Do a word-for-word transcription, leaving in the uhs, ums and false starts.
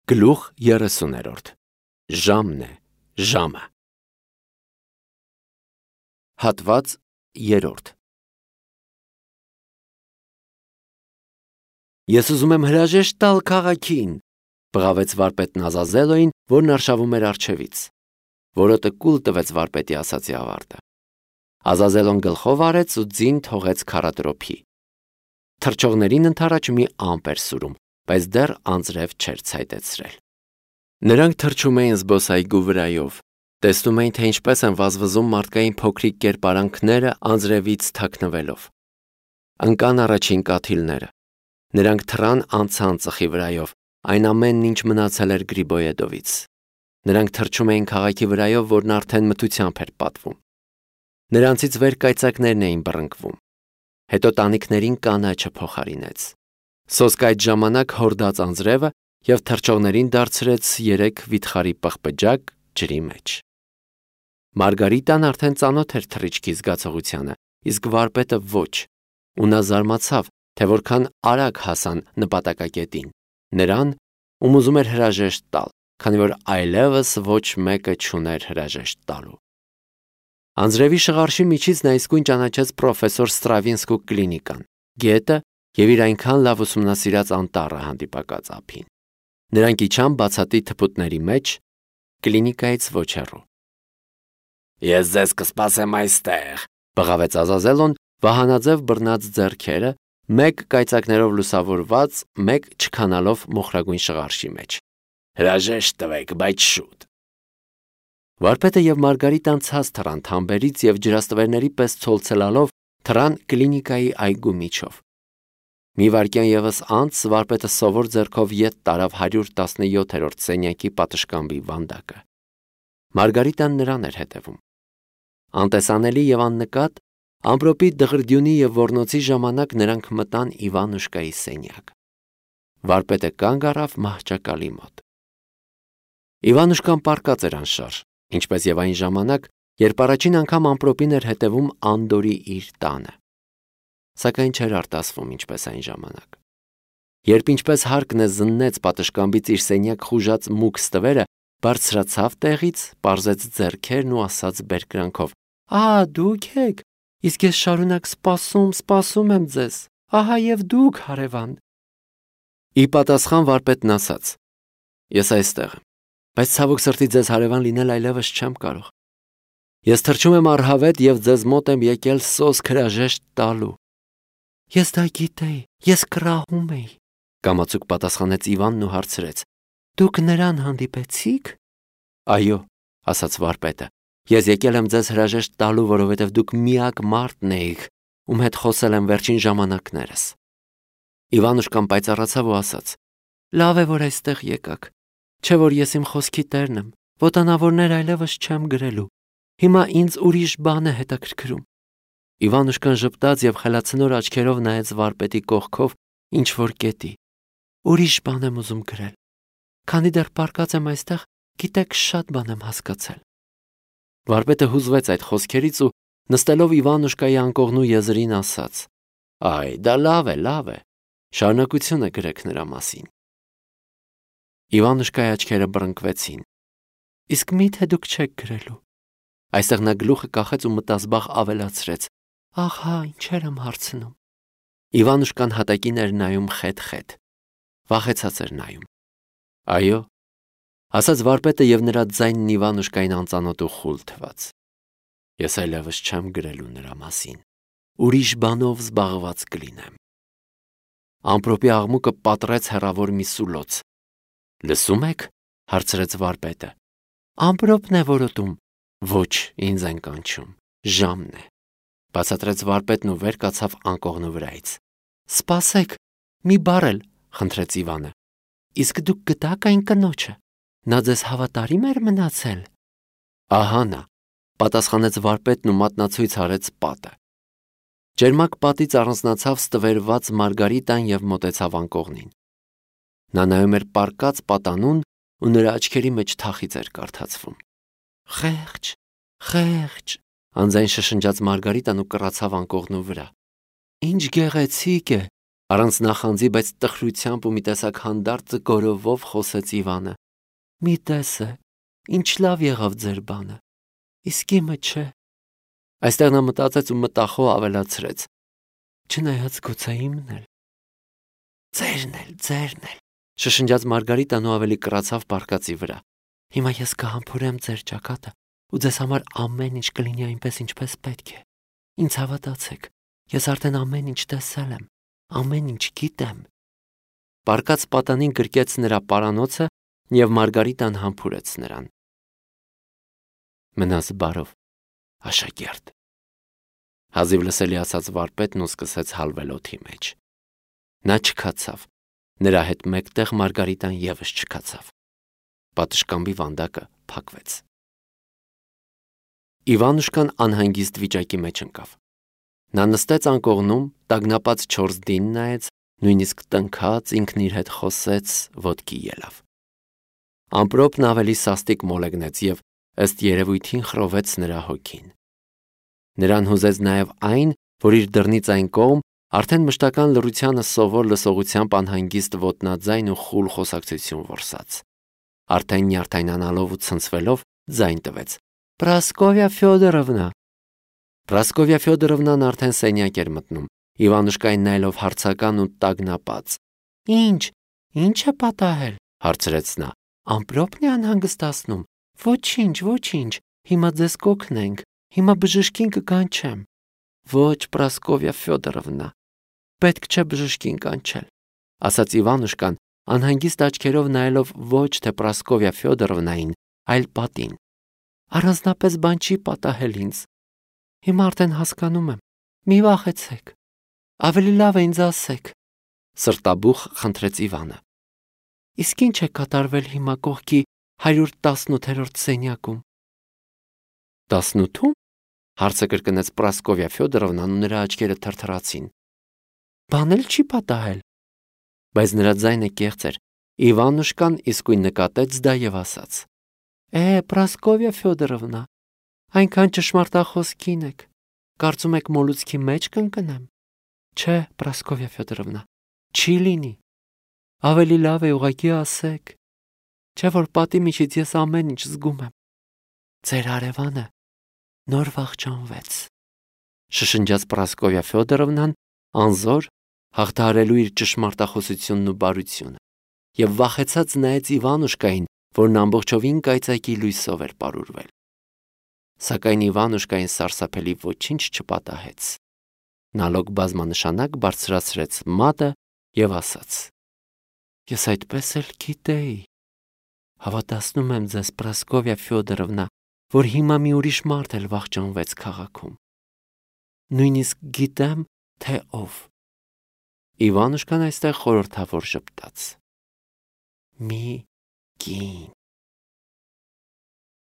Գլուխ երեսուներորդ Ժամն է, ժամը։ Հատված երրորդ Ես ուզում եմ հրաժեշտ տալ քաղաքին, բղավեց վարպետն Ազազելոյին, որն արշավում էր առջևից, որը տկուլ տվեց վարպետի ասացի ավարտը։ Ազազելոն գլխով արեց ու ձին թողեց քարատրոփի։ Թռչողներին ընդառաջ մի ամպ էր սուրում, բայց դեռ անձրև չէր ցայտեցրել։ Նրանք թռչում էին զբոսայգու վրայով, տեսնում էին, թե ինչպես են վազվզում մարդկային փոքրիկ կերպարանքները անձրևից թաքնվելով։ Ընկան առաջին կաթիլները։ Նրանք թռան անցան ծխի վրայով, այն ամենն, ինչ մնացել էր Գրիբոյեդովից։ Նրանք թռչում էին քաղաքի վրայով, որն արդեն մթությամբ էր պատվում։ Նրանցից վեր կայծակներն էին բռնկվում։ Հետո տանիքներին կանաչը փոխարինեց։ Սոսկը այդ ժամանակ հորդաց անձրևը և թռչողներին դարձրեց երեք վիթխարի պղպջակ ջրի մեջ։ Մարգարիտան արդեն ծանոթ էր թռիչքի զգացողությանը, իսկ վարպետը ոչ, ու նա զարմացավ, թե որքան արագ հասան նպատակակետին, նրան, ում ուզում էր հրաժեշտ տալ, քանի որ այլևս ոչ մեկը չուներ հրաժեշտ տալու։ Անձրևի շղարշի միջից նա իսկույն ճանաչեց պրոֆեսոր Ստրավինսկու կլինիկան, գետը և իր այնքան լավ ուսումնասիրած անտառը հանդիպակաց ափին։ Նրանք իջան բացատի թփուտների մեջ, կլինիկայից ոչ հեռու։ Ես ձեզ կսպասեմ այստեղ, բղավեց Ազազելոն, վահանաձև բռնած ձեռքերը, մեկ կայծակներով լուսավորված, մեկ չքանալով մոխրագույն շղարշի մեջ։ Հրաժեշտ տվեք, բայց շուտ։ Վարպետը և Մարգարիտան ցած թռան թամբերից և ջրաստվերների պես ցոլցելալով թռան կլինիկայի այգու միջով։ Մի վայրկյան ևս անց վարպետը սովոր ձեռքով ետ տարավ հարյուր տասնյոթերորդ սենյակի պատշգամբի վանդակը։ Մարգարիտան նրան էր հետևում։ Անտեսանելի և աննկատ, ամպրոպի դղրդյունի և ոռնոցի ժամանակ նրանք մտան Իվանուշկայի սենյակ։ Վարպետը կանգ առավ մահճակալի մոտ։ Իվանուշկան պառկած էր անշարժ, ինչպես և այն ժամանակ, երբ առաջին անգամ ամպրոպին էր հետևում Անդորի իր տանը։ Սակայն չէր արտասվում ինչպես այն ժամանակ։ Երբ ինչպես հարկն է զննեց պատշգամբից իր սենյակ խուժած մուգ ստվերը, բարձրացավ տեղից, պարզեց ձեռքերն ու ասաց բերկրանքով. «Ահա դուք եք, իսկ ես շարունակ սպասում, սպասում եմ ձեզ, ահա և դուք, հարևան»։ Ի պատասխան վարպետն ասաց. «Ես այստեղ եմ, բայց ցավոք սրտի ձեզ հարևան լինել այլևս չեմ կարող։ Ես թռչում եմ առհավետ և ձեզ մոտ եմ եկել սոսկ հրաժեշտ տալու»։ Ես դա գիտեի, ես կռահում էի, կամացուկ պատասխանեց Իվանն ու հարցրեց. Դուք նրան հանդիպեցի՞ք։ Այո, ասաց վարպետը, ես եկել եմ ձեզ հրաժեշտ տալու, որովհետև դուք միակ մարդն էիք, ում հետ խոսել եմ վերջին ժամանակներս։ Իվանուշկան պայծառացավ ու ասաց. Լավ է, որ այստեղ եկաք, չէ որ ես իմ խոսքի տերն եմ, ոտանավորներ այլևս չեմ գրելու, հիմա ինձ ուրիշ բան է հետաքրքրում։ Իվանուշկան ժպտաց և խելացնոր աչքերով նայեց վարպետի կողքով ինչ-որ կետի։ Ուրիշ բան եմ ուզում գրել։ Քանի դեռ պառկած եմ այստեղ, գիտեք, շատ բան եմ հասկացել։ Վարպետը հուզվեց այդ խոսքերից ու նստելով Իվանուշկայի անկողնու եզրին ասաց. Այ, դա լավ է, լավ է, շարունակությունը գրեք նրա մասին։ Իվանուշկայի աչքերը բռնկվեցին։ Իսկ մի՞թե դուք չեք գրելու։ Այստեղ նա գլուխը կախեց ու մտազբաղ ավելացրեց. Ահա, ինչեր եմ հարցնում։ Իվանուշկան հատակին էր նայում խետ-խետ։ Վախեցած էր նայում։ Այո, ասաց վարպետը և նրա ձայնն Իվանուշկային անծանոթ ու խուլ թվաց։ Ես այլևս չեմ գրելու նրա մասին։ Ուրիշ բանով զբաղված կլինեմ։ Ամպրոպի աղմուկը պատռեց հեռավոր մի սուլոց։ Լսում եք, հարցրեց վարպետը։ Ամպրոպն է որոտում։ Ոչ, ինձ են կանչում, ժամն է, բացատրեց վարպետն ու վեր կացավ անկողնու վրայից։ Սպասեք, մի բառ էլ, խնդրեց Իվանը։ Իսկ դուք գտաք այն կնոջը։ Նա ձեզ հավատարիմ էր մնացել։ Ահա նա, պատասխանեց վարպետն ու մատնացույց արեց պատը։ Ջերմակ պատից առանձնացավ ստվերված Մարգարիտան և մոտեցավ անկողնին։ Նա նայում էր պառկած պատանուն ու նրա աչքերի մեջ թախիծ էր կարդացվում։ Խեղճ, խեղճ, անձայն շշնջաց Մարգարիտան ու կռացավ անկողնու վրա։ Ինչ գեղեցիկ է, Առանց նախանձի, բայց տխրությամբ ու մի տեսակ հանդարտ գորովով խոսեց Իվանը. «Մի տեսե, ինչ լավ եղավ ձեր բանը, իսկ իմը չէ»։ Այստեղ նա մտածեց ու մտախոհ ավելացրեց. «Չնայած գուցե իմն էլ»։ «Ձերն էլ, ձերն էլ», շշնջաց Մարգարիտան ու ավելի կռացավ պարկածի վրա։ «Հիմա ես կհամբուրեմ ձեր ճակատը ու ձեզ համար ամեն ինչ կլինի այնպես, ինչպես պետք է։ Ինձ հավատացեք, ես արդեն ամեն ինչ տեսել եմ, ամեն ինչ գիտեմ»։ Պարկած պատանին գրկեց նրա պարանոցը և Մարգարիտան համբուրեց նրան։ «Մնաս բարով, աշակերտ», հազիվ լսելի ասաց վարպետն ու սկսեց հալվել օդի մեջ։ Նա չքացավ, նրա հետ մեկտեղ Մարգարիտան ևս չքացավ։ Պատշգամբի վանդակը փակվեց։ Իվանուշկան անհանգիստ վիճակի մեջ ընկավ։ Նա նստեց անկողնում, տագնապած չորս դին նայեց, նույնիսկ տնքաց, ինքն իր հետ խոսեց, ոտքի ելավ։ Ամպրոպն ավելի սաստիկ մոլեգնեց և ըստ երևույթին խռովեց նրա հոգին։ Նրան հուզեց նաև այն, որ իր դռնից այն կողմ արդեն մշտական լռությանը սովոր լսողությամբ անհանգիստ ոտնաձայն ու խուլ խոսակցություն որսաց։ Արդեն նյարդայնանալով ու ցնցվելով ձայն տվեց. «Պրասկովյա Ֆյոդորովնա»։ Պրասկովյա Ֆյոդորովնան արդեն սենյակ էր մտնում, Իվանուշկային նայելով հարցական ու տագնապած։ «Ինչ, ի՞նչ է պատահել», հարցրեց նա։ «Ամպրոպն է անհանգստացնում»։ «Ոչինչ, ոչինչ, հիմա ձեզ կօգնենք, հիմա բժշկին կկանչեմ»։ «Ոչ, Պրասկովյա Ֆյոդորովնա, պետք չէ բժշկին կանչել», ասաց Իվանուշկան, անհանգիստ աչքերով նայելով ոչ թե Պրասկովյա Ֆյոդորովնային, այլ պատին։ «Առանձնապես բան չի պատահել ինձ։ Հիմա արդեն հասկանում եմ, մի վախեցեք, ավելի լավ է ինձ ասեք», սրտաբուխ խնդրեց Իվանը։ «Իսկ ինչ է կատարվել հիմա կողքի հարյուր տասնութերորդ սենյակում»։ «Տասնութո՞ւմ»։ հարցը կրկնեց Պրասկովյա Ֆյոդորովնան ու նրա աչքերը թրթռացին։ «Բան էլ չի պատահել»։ Բայց նրա ձայնը կեղծ էր։ Իվանուշկան իսկույն նկատեց դա և ասաց. «Է, Պրասկովյա Ֆյոդորովնա, այնքան ճշմարտախոս կին եք, կարծում եք մոլուցքի մեջ կընկնեմ։ Չէ, Պրասկովյա Ֆյոդորովնա, չի լինի։ Ավելի լավ է ուղղակի ասեք, չէ՞ որ պատի միջից ես ամեն ինչ զգում եմ։ Ձեր հարևանը նոր վախճանվեց», շշնջաց Պրասկովյա Ֆյոդորովնան, անզոր հաղթահարելու իր ճշմարտախոսությունն ու բարությունը, և վախեցած նայեց Իվանուշկային, որն ամբողջովին կայծակի լույսով էր պարուրվել։ Սակայն Իվանուշկային սարսափելի ոչինչ չպատահեց։ Նա լոկ բազմանշանակ բարձրացրեց մատը և ասաց. «Ես այդպես էլ գիտեի։ Հավատացնում եմ ձեզ, Պրասկովյա Ֆյոդորովնա, որ հիմա մի ուրիշ մարդ էլ վախճանվեց քաղաքում։ Նույնիսկ գիտեմ, թե ով»։ Իվանուշկան այստեղ խորհրդավոր ժպտաց. «Մի կին»։